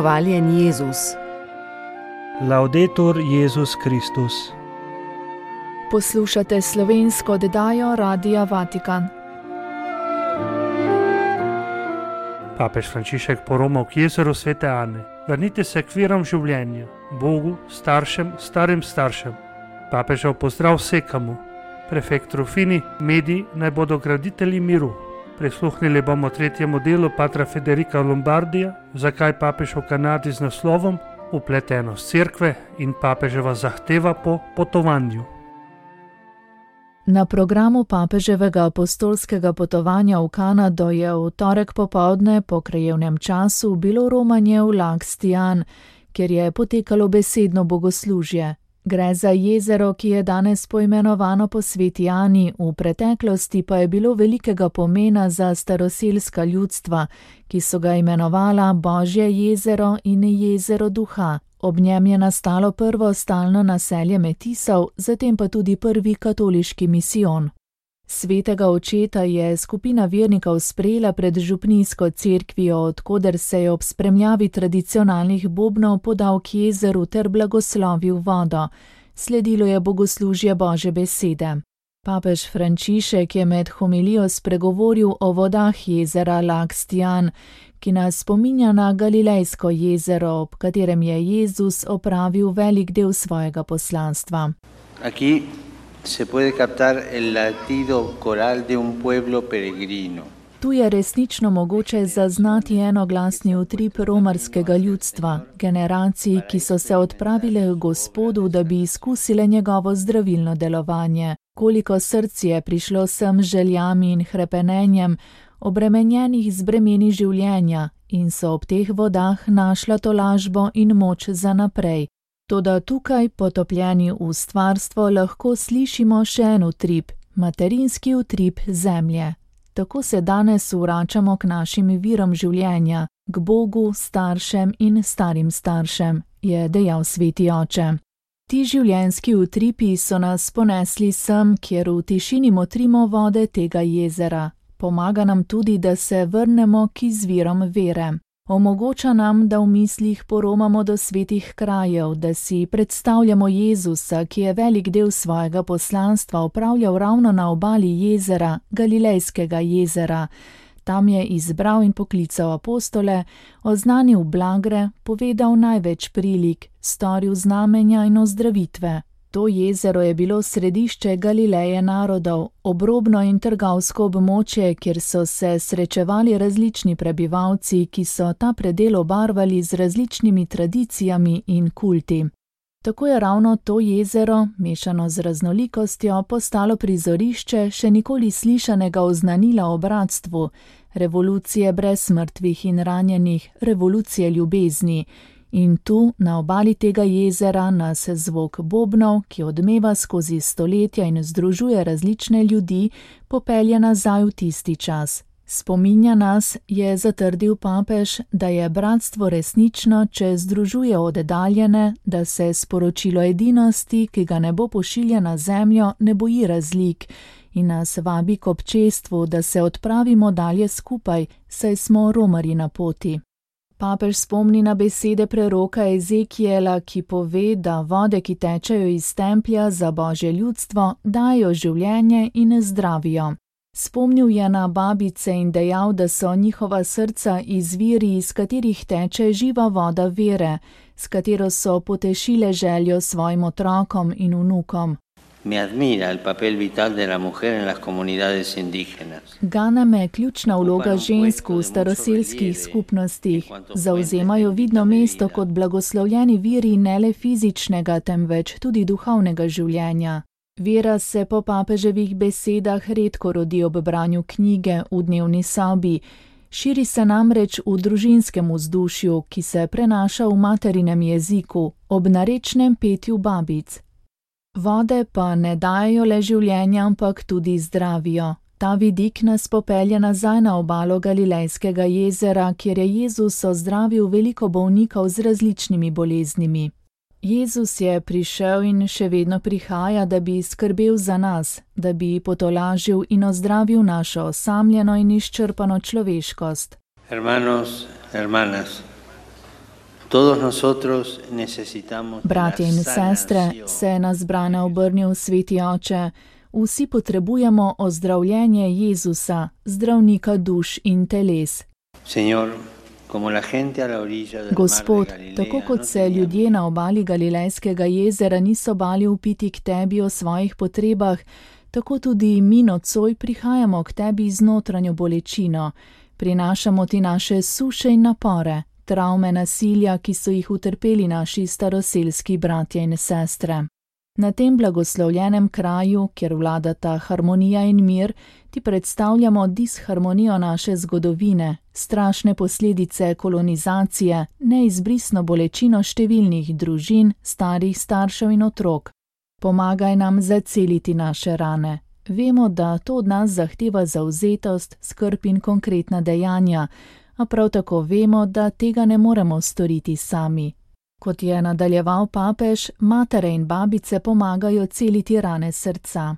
Hvaljen Jezus. Laudetur Jezus Kristus. Poslušate slovensko oddajo Radia Vatikan. Papež Frančišek poromal k jezeru Svete Ane. Vrnite se k virom življenja, Bogu, staršem, starim staršem. Papežev pozdrav vsekamu. Prefekt Rufini, mediji naj bodo graditelji miru. Prisluhnili bomo tretjemu delu patra Federica Lombardija, zakaj papež v Kanadi z naslovom Vpletenost cerkve in papeževa zahteva po potovanju. Na programu papeževega apostolskega potovanja v Kanado je v torek popoldne po krajevnem času bilo romanje v Lac Stian, kjer je potekalo besedno bogoslužje. Gre za jezero, ki je danes poimenovano po sveti Ani, v preteklosti pa je bilo velikega pomena za staroselska ljudstva, ki so ga imenovala Božje jezero in jezero duha. Ob njem je nastalo prvo stalno naselje Metisov, zatem pa tudi prvi katoliški misijon. Svetega očeta je skupina vernikov sprejela pred župnijsko cerkvijo, odkoder se je ob spremljavi tradicionalnih bobnov podal k jezeru ter blagoslovil vodo. Sledilo je bogoslužje Božje besede. Papež Frančišek je med homilijo spregovoril o vodah jezera Lac Stian, ki nas spominja na Galilejsko jezero, ob katerem je Jezus opravil velik del svojega poslanstva. Aquí se puede captar el latido coral de un pueblo peregrino. Tu je resnično mogoče zaznati enoglasni utrip romarskega ljudstva, generacij, ki so se odpravile k Gospodu, da bi izkusile njegovo zdravilno delovanje. Koliko src je prišlo sem željami in hrepenenjem, obremenjenih z bremeni življenja, in so ob teh vodah našla tolažbo in moč za naprej. Toda tukaj, potopljeni v stvarstvo, lahko slišimo še en utrip, materinski utrip zemlje. Tako se danes vračamo k našim virom življenja, k Bogu, staršem in starim staršem, je dejal sveti oče. Ti življenjski utripi so nas ponesli sem, kjer v tišini motrimo vode tega jezera. Pomaga nam tudi, da se vrnemo k izvirom vere. Omogoča nam, da v mislih poromamo do svetih krajev, da si predstavljamo Jezusa, ki je velik del svojega poslanstva opravljal ravno na obali jezera, Galilejskega jezera. Tam je izbral in poklical apostole, oznanil blagre, povedal največ prilik, storil znamenja in ozdravitve. To jezero je bilo središče Galileje narodov, obrobno in trgovsko območje, kjer so se srečevali različni prebivalci, ki so ta predel obarvali z različnimi tradicijami in kulti. Tako je ravno to jezero, mešano z raznolikostjo, postalo prizorišče še nikoli slišanega oznanila o bratstvu, revolucije brez mrtvih in ranjenih, revolucije ljubezni. In tu, na obali tega jezera, nas zvok bobnov, ki odmeva skozi stoletja in združuje različne ljudi, popelje nazaj v tisti čas. Spominja nas, je zatrdil papež, da je bratstvo resnično, če združuje oddaljene, da se sporočilo edinosti, ki ga nebo pošilja na zemljo, ne boji razlik in nas vabi k občestvu, da se odpravimo dalje skupaj, saj smo romarji na poti. Papež spomni na besede preroka Ezekiela, ki pove, da vode, ki tečejo iz templja za Božje ljudstvo, dajo življenje in zdravijo. Spomnil je na babice in dejal, da so njihova srca izviri, iz katerih teče živa voda vere, s katero so potešile željo svojim otrokom in vnukom. Me admira el papel vital de la mujer en las comunidades indígenas. Gane me ključna vloga žensk v staroselskih skupnostih. Zavzemajo vidno mesto kot blagoslovljeni viri ne le fizičnega, temveč tudi duhovnega življenja. Vera se po papeževih besedah redko rodi ob branju knjige v dnevni sobi. Širi se namreč v družinskem vzdušju, ki se prenaša v materinem jeziku, ob narečnem petju babic. Vode pa ne dajo le življenja, ampak tudi zdravijo. Ta vidik nas popelje nazaj na obalo Galilejskega jezera, kjer je Jezus ozdravil veliko bolnikov z različnimi boleznimi. Jezus je prišel in še vedno prihaja, da bi skrbel za nas, da bi potolažil in ozdravil našo osamljeno in izčrpano človeškost. Hermanos, hermanas, Bratje in sestre, se na zbrane obrnil Sveti Oče, vsi potrebujemo ozdravljenje Jezusa, zdravnika duš in teles. Gospod, tako kot se ljudje na obali Galilejskega jezera niso bali vpiti k tebi o svojih potrebah, tako tudi mi nocoj prihajamo k tebi z notranjo bolečino, prinašamo ti naše suše in napore, travme nasilja, ki so jih utrpeli naši staroselski bratje in sestre. Na tem blagoslovljenem kraju, kjer vladata harmonija in mir, ti predstavljamo disharmonijo naše zgodovine, strašne posledice kolonizacije, neizbrisno bolečino številnih družin, starih staršev in otrok. Pomagaj nam zaceliti naše rane. Vemo, da to od nas zahteva zavzetost, skrb in konkretna dejanja, a prav tako vemo, da tega ne moremo storiti sami. Kot je nadaljeval papež, matere in babice pomagajo celiti rane srca.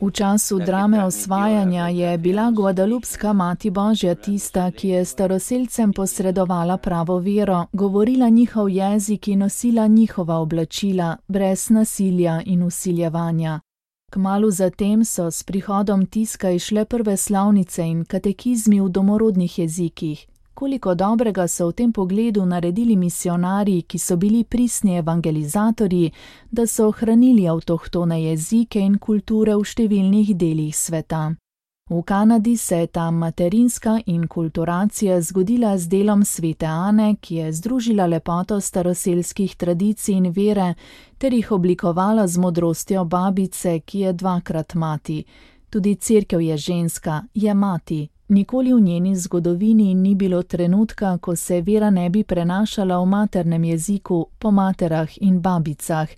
V času drame osvajanja je bila Guadalupska Mati Božja tista, ki je staroselcem posredovala pravo vero, govorila njihov jezik in nosila njihova oblačila, brez nasilja in vsiljevanja. Kmalu zatem so s prihodom tiska išle prve slovnice in katekizmi v domorodnih jezikih. Koliko dobrega so v tem pogledu naredili misionarji, ki so bili pristni evangelizatorji, da so ohranili avtohtone jezike in kulture v številnih delih sveta. V Kanadi se je ta materinska inkulturacija zgodila z delom svete Ane, ki je združila lepoto staroselskih tradicij in vere, ter jih oblikovala z modrostjo babice, ki je dvakrat mati. Tudi cerkev je ženska, je mati. Nikoli v njeni zgodovini ni bilo trenutka, ko se vera ne bi prenašala v maternem jeziku, po materah in babicah.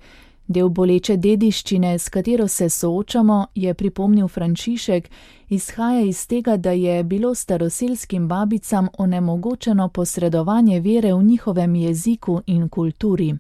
Del boleče dediščine, s katero se soočamo, je pripomnil Frančišek, izhaja iz tega, da je bilo staroselskim babicam onemogočeno posredovanje vere v njihovem jeziku in kulturi.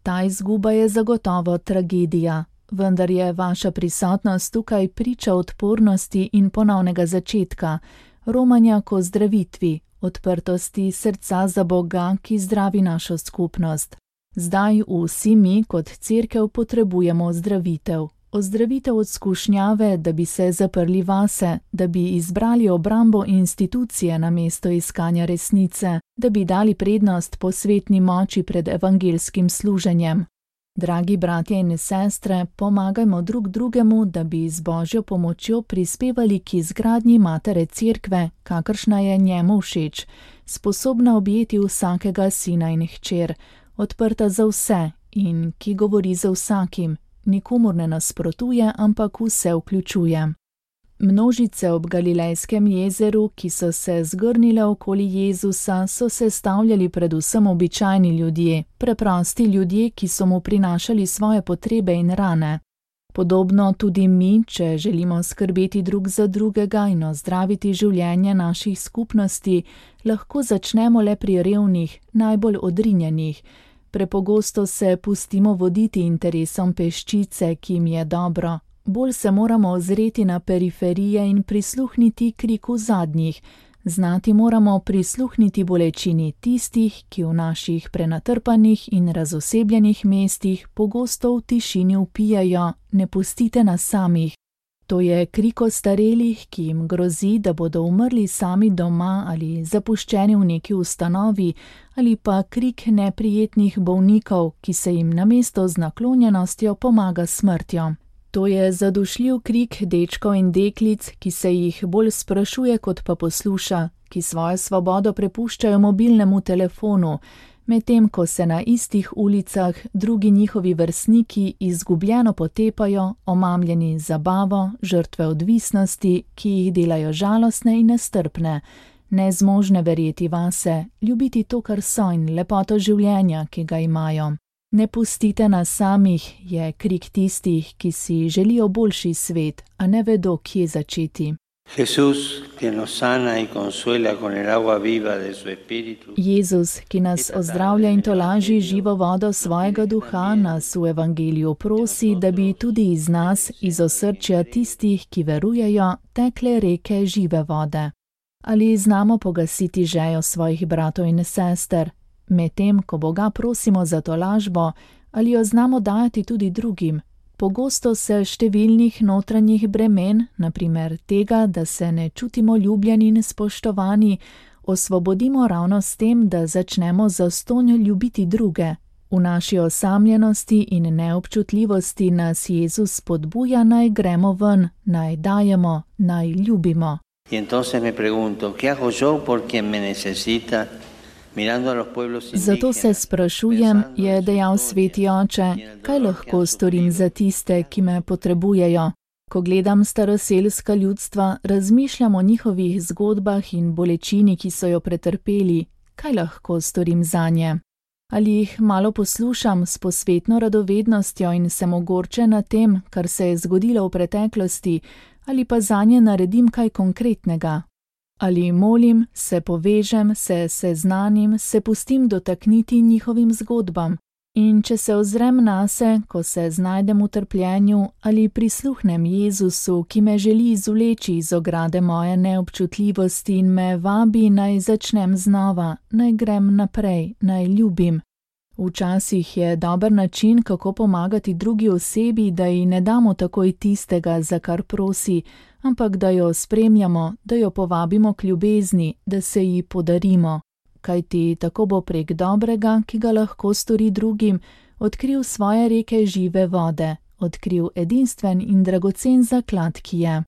Ta izguba je zagotovo tragedija, vendar je vaša prisotnost tukaj priča odpornosti in ponovnega začetka, romanja k ozdravitvi, odprtosti srca za Boga, ki zdravi našo skupnost. Zdaj vsi mi kot cerkev potrebujemo ozdravitev. Ozdravitev od skušnjave, da bi se zaprli vase, da bi izbrali obrambo institucije namesto iskanja resnice, da bi dali prednost posvetni moči pred evangelskim služenjem. Dragi bratje in sestre, pomagajmo drug drugemu, da bi z Božjo pomočjo prispevali k izgradnji matere cerkve, kakršna je njemu všeč, sposobna objeti vsakega sina in hčer, odprta za vse in ki govori za vsakim, nikomur ne nasprotuje, ampak vse vključuje. Množice ob Galilejskem jezeru, ki so se zgrnile okoli Jezusa, so se stavljali predvsem običajni ljudje, preprosti ljudje, ki so mu prinašali svoje potrebe in rane. Podobno tudi mi, če želimo skrbeti drug za drugega in ozdraviti življenje naših skupnosti, lahko začnemo le pri revnih, najbolj odrinjenih. Prepogosto se pustimo voditi interesom peščice, ki jim je dobro. Bolj se moramo ozreti na periferije in prisluhniti kriku zadnjih. Znati moramo prisluhniti bolečini tistih, ki v naših prenatrpanih in razosebljenih mestih pogosto v tišini vpijajo: ne pustite nas samih. To je krik ostarelih, ki jim grozi, da bodo umrli sami doma ali zapuščeni v neki ustanovi, ali pa krik neprijetnih bolnikov, ki se jim namesto z naklonjenostjo pomaga smrtjo. To je zadušljiv krik dečkov in deklic, ki se jih bolj sprašuje, kot pa posluša, ki svojo svobodo prepuščajo mobilnemu telefonu, medtem ko se na istih ulicah drugi njihovi vrstniki izgubljeno potepajo, omamljeni zabavo, žrtve odvisnosti, ki jih delajo žalostne in nestrpne, nezmožne verjeti vase, ljubiti to, kar so in lepoto življenja, ki ga imajo. Ne pustite nas samih, je krik tistih, ki si želijo boljši svet, a ne vedo, kje začeti. Jezus, ki nas ozdravlja in tolaži živo vodo svojega duha, nas v evangeliju prosi, da bi tudi iz nas, iz osrčja tistih, ki verujejo, tekle reke žive vode. Ali znamo pogasiti žejo svojih bratov in sester, medtem ko Boga prosimo za tolažbo, ali jo znamo dajati tudi drugim? Pogosto se številnih notranjih bremen, na primer tega, da se ne čutimo ljubljeni in spoštovani, osvobodimo ravno s tem, da začnemo zastonj ljubiti druge. V naši osamljenosti in neobčutljivosti nas Jezus spodbuja, naj gremo ven, naj dajemo, naj ljubimo. Zato se sprašujem, je dejal sveti oče, kaj lahko storim za tiste, ki me potrebujejo. Ko gledam staroselska ljudstva, razmišljam o njihovih zgodbah in bolečini, ki so jo pretrpeli, kaj lahko storim zanje. Ali jih malo poslušam s posvetno radovednostjo in sem ogorčen na tem, kar se je zgodilo v preteklosti, ali pa zanje naredim kaj konkretnega. Ali molim, se povežem, se seznanim, se pustim dotakniti njihovim zgodbam. In če se ozrem nase, ko se znajdem v trpljenju, ali prisluhnem Jezusu, ki me želi izvleči iz ograde moje neobčutljivosti in me vabi, naj začnem znova, naj grem naprej, naj ljubim. Včasih je dober način, kako pomagati drugi osebi, da ji ne damo takoj tistega, za kar prosi, ampak da jo spremljamo, da jo povabimo k ljubezni, da se ji podarimo. Kajti tako bo prek dobrega, ki ga lahko stori drugim, odkril svoje reke žive vode, odkril edinstven in dragocen zaklad, ki je.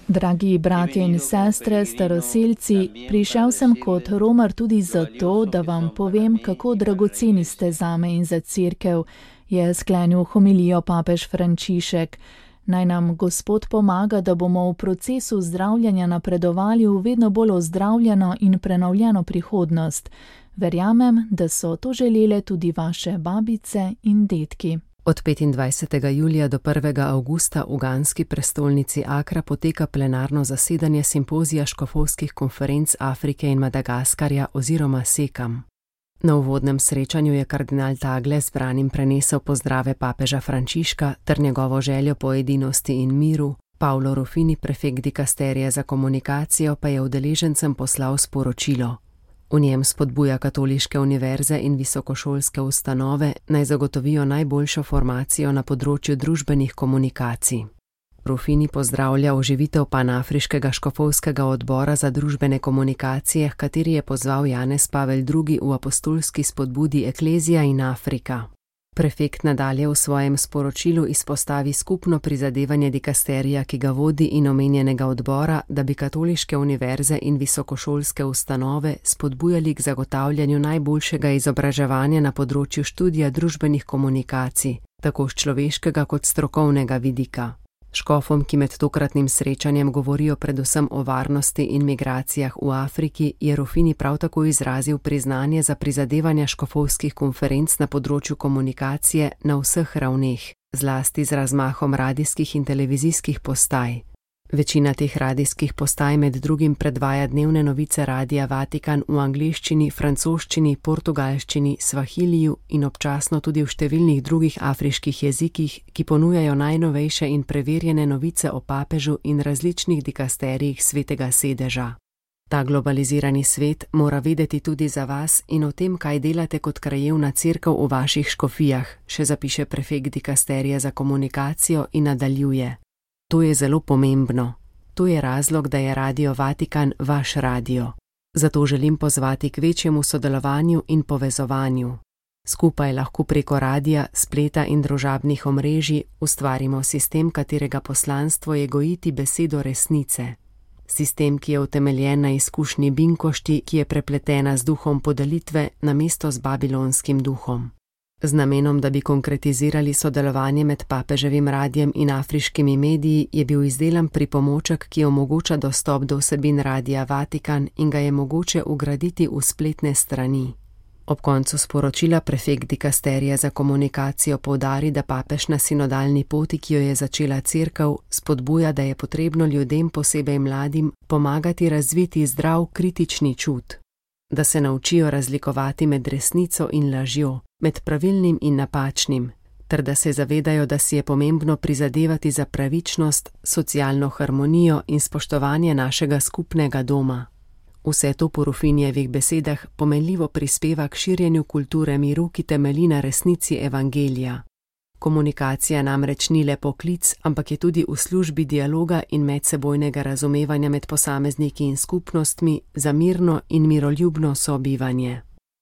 Dragi bratje in sestre, staroselci, prišel sem kot romar tudi zato, da vam povem, kako dragoceni ste zame in za cerkev, je sklenil homilijo papež Frančišek. Naj nam Gospod pomaga, da bomo v procesu zdravljenja napredovali v vedno bolj ozdravljeno in prenovljeno prihodnost. Verjamem, da so to želele tudi vaše babice in dedki. Od 25. julija do 1. avgusta v uganski prestolnici Akra poteka plenarno zasedanje simpozija škofovskih konferenc Afrike in Madagaskarja oziroma SEKAM. Na uvodnem srečanju je kardinal Tagle zbranim prenesel pozdrave papeža Frančiška ter njegovo željo po edinosti in miru. Paolo Ruffini, prefekt dikasterije za komunikacijo, pa je udeležencem poslal sporočilo. V njem spodbuja katoliške univerze in visokošolske ustanove, naj zagotovijo najboljšo formacijo na področju družbenih komunikacij. Ruffini pozdravlja oživitev panafriškega škofovskega odbora za družbene komunikacije, kateri je pozval Janez Pavel II v apostolski spodbudi Eklezija in Afrika. Prefekt nadalje v svojem sporočilu izpostavi skupno prizadevanje dikasterija, ki ga vodi, in omenjenega odbora, da bi katoliške univerze in visokošolske ustanove spodbujali k zagotavljanju najboljšega izobraževanja na področju študija družbenih komunikacij, tako s človeškega kot strokovnega vidika. Škofom, ki med tokratnim srečanjem govorijo predvsem o varnosti in migracijah v Afriki, je Ruffini prav tako izrazil priznanje za prizadevanja škofovskih konferenc na področju komunikacije na vseh ravneh, zlasti z razmahom radijskih in televizijskih postaj. Večina teh radijskih postaj med drugim predvaja dnevne novice Radia Vatikan v angleščini, francoščini, portugalščini, svahiliju in občasno tudi v številnih drugih afriških jezikih, ki ponujajo najnovejše in preverjene novice o papežu in različnih dikasterijih svetega sedeža. Ta globalizirani svet mora vedeti tudi za vas in o tem, kaj delate kot krajevna cerkev v vaših škofijah, še zapiše prefekt dikasterije za komunikacijo in nadaljuje. To je zelo pomembno. To je razlog, da je Radio Vatikan vaš radio. Zato želim pozvati k večjemu sodelovanju in povezovanju. Skupaj lahko preko radija, spleta in družabnih omrežij ustvarimo sistem, katerega poslanstvo je gojiti besedo resnice. Sistem, ki je utemeljen na izkušnji binkošti, ki je prepletena z duhom podelitve namesto z babilonskim duhom. Z namenom, da bi konkretizirali sodelovanje med papeževim radijem in afriškimi mediji, je bil izdelan pripomoček, ki omogoča dostop do vsebin Radia Vatikan in ga je mogoče vgraditi v spletne strani. Ob koncu sporočila prefekt dikasterija za komunikacijo poudari, da papež na sinodalni poti, ki jo je začela cerkev, spodbuja, da je potrebno ljudem, posebej mladim, pomagati razviti zdrav kritični čut. Da se naučijo razlikovati med resnico in lažjo, med pravilnim in napačnim, ter da se zavedajo, da si je pomembno prizadevati za pravičnost, socialno harmonijo in spoštovanje našega skupnega doma. Vse to po Rufinjevih besedah pomenljivo prispeva k širjenju kulture miru, ki temelji na resnici evangelija. Komunikacija namreč ni le poklic, ampak je tudi v službi dialoga in medsebojnega razumevanja med posamezniki in skupnostmi za mirno in miroljubno sobivanje.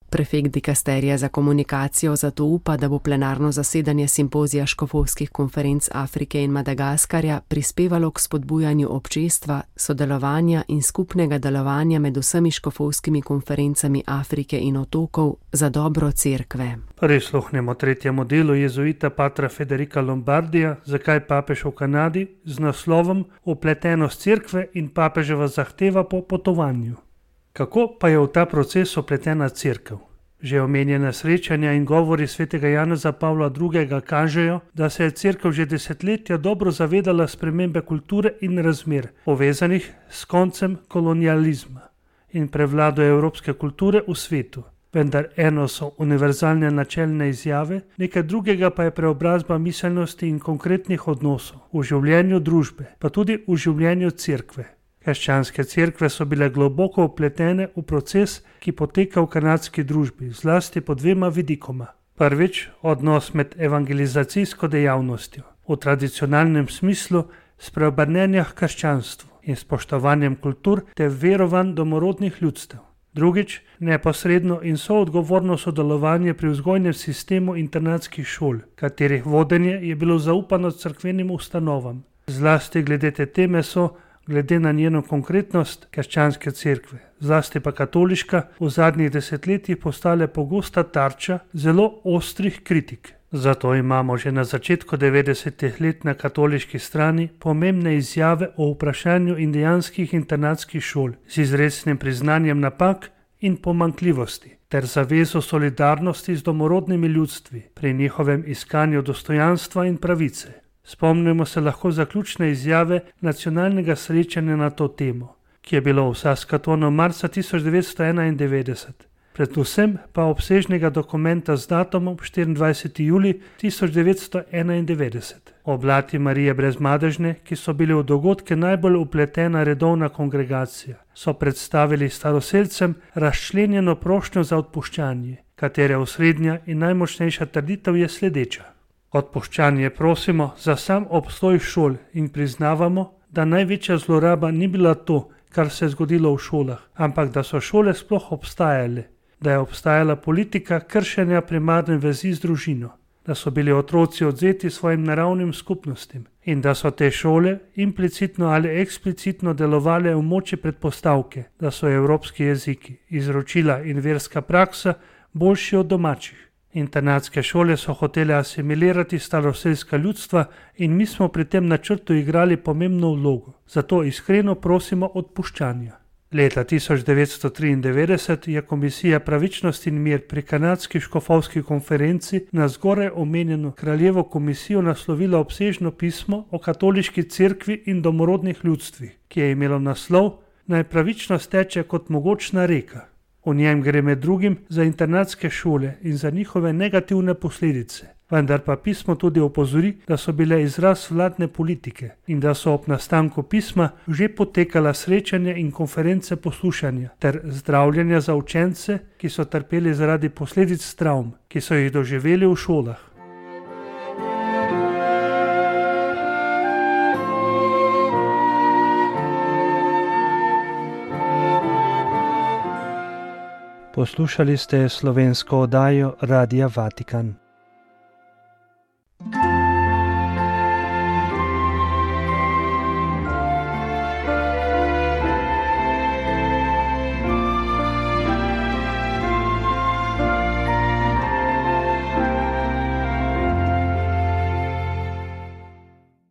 Prefekt dikasterija za komunikacijo zato upa, da bo plenarno zasedanje simpozija škofovskih konferenc Afrike in Madagaskarja prispevalo k spodbujanju občestva, sodelovanja in skupnega delovanja med vsemi škofovskimi konferencami Afrike in otokov za dobro cerkve. Prisluhnemo tretjemu delu jezuita patra Federica Lombardija, zakaj papež v Kanadi, z naslovom Vpletenost cerkve in papeževa zahteva po potovanju. Kako pa je v ta proces vpletena cerkev? Že omenjena srečanja in govori svetega Janeza Pavla II. Kažejo, da se je cerkev že desetletja dobro zavedala spremembe kulture in razmer, povezanih s koncem kolonializma in prevlado evropske kulture v svetu. Vendar eno so univerzalne načelne izjave, nekaj drugega pa je preobrazba miselnosti in konkretnih odnosov v življenju družbe, pa tudi v življenju cerkve. Krščanske cerkve so bile globoko vpletene v proces, ki poteka v kanadski družbi, zlasti po dvema vidikoma. Prvič, odnos med evangelizacijsko dejavnostjo, v tradicionalnem smislu spreobrnenja k krščanstvu in spoštovanjem kultur ter verovanj domorodnih ljudstev. Drugič, neposredno in soodgovorno sodelovanje pri vzgojnem sistemu internatskih šol, katerih vodenje je bilo zaupano cerkvenim ustanovam. Zlasti glede te teme so, glede na njeno konkretnost, krščanske cerkve, zlasti pa katoliška, v zadnjih desetletjih postale pogosta tarča zelo ostrih kritik. Zato imamo že na začetku 90-ih let na katoliški strani pomembne izjave o vprašanju indijanskih internatskih šol z izrecnim priznanjem napak in pomanjkljivosti ter zavezo solidarnosti z domorodnimi ljudstvi pri njihovem iskanju dostojanstva in pravice. Spomnimo se lahko zaključne izjave nacionalnega srečanja na to temo, ki je bilo v Saskatonu marca 1991, predvsem pa obsežnega dokumenta z datumom 24. julij 1991. Oblati Marije Brezmadežne, ki so bili v dogodke najbolj vpletena redovna kongregacija, so predstavili staroselcem razčlenjeno prošnjo za odpuščanje, katere osrednja in najmočnejša trditev je sledeča. Odpuščanje prosimo za sam obstoj šol in priznavamo, da največja zloraba ni bila to, kar se je zgodilo v šolah, ampak da so šole sploh obstajale, da je obstajala politika kršenja primarne vezi z družino, da so bili otroci odvzeti svojim naravnim skupnostim in da so te šole implicitno ali eksplicitno delovale v moči predpostavke, da so evropski jeziki, izročila in verska praksa boljši od domačih. Internatske šole so hotele asimilirati staroselska ljudstva in mi smo pri tem načrtu igrali pomembno vlogo, zato iskreno prosimo odpuščanja. Leta 1993 je Komisija pravičnost in mir pri kanadski škofovski konferenci na zgoraj omenjeno kraljevo komisijo naslovila obsežno pismo o katoliški cerkvi in domorodnih ljudstvih, ki je imelo naslov Naj pravičnost teče kot mogočna reka. V njem gre med drugim za internatske šole in za njihove negativne posledice, vendar pa pismo tudi opozori, da so bile izraz vladne politike in da so ob nastanku pisma že potekala srečanja in konference poslušanja ter zdravljenja za učence, ki so trpeli zaradi posledic travm, ki so jih doživeli v šolah. Poslušali ste slovensko oddajo Radia Vatikan.